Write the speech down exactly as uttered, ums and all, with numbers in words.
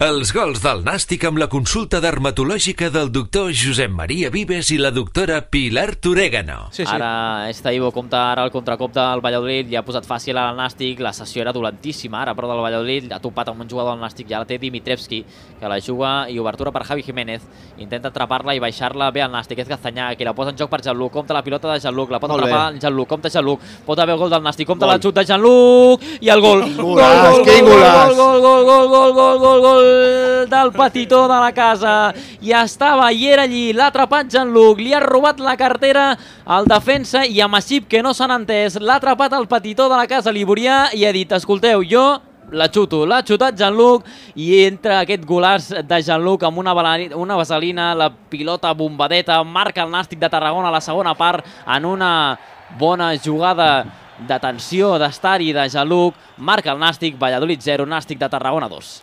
Els gols del Nàstic amb la consulta dermatològica del doctor Josep Maria Vives i la doctora Pilar Turégano. Sí, sí. Ara Estaivo compta ara el contracop del Valladolid, li ha posat fàcil al Nàstic, la sessió era dolentíssima ara, però del Valladolid ha topat amb un jugador del Nàstic, ja la té Dimitrevski, que la juga, i obertura per Javi Jiménez, intenta atrapar-la i baixar-la bé al Nàstic, és Gazanyà, que la posa en joc per Jean-Luc, compta la pilota de Jean-Luc, la pot Molt atrapar Jean-Luc, compta Jean-Luc, pot haver gol del Nàstic, compta Gol. la xut de Jean-Luc, i el gol! Gol, Golaç, gol, quin gol, golaç! gol, gol, gol, gol, gol, gol, gol del petitó de la casa, i estava i era allí, l'ha atrapat Jean-Luc, li ha robat la cartera al defensa i amb Aixip, que no s'han entès, l'ha atrapat el petitó de la casa liborià i ha dit, escolteu, jo la xuto, l'ha xutat Jean-Luc i entra aquest golaç de Jean-Luc amb una, una vaselina, la pilota bombadeta, marca el Nàstic de Tarragona a la segona part en una bona jugada d'atenció, d'estar-hi de Jean-Luc, marca el Nàstic, Valladolid zero, Nàstic de Tarragona dos.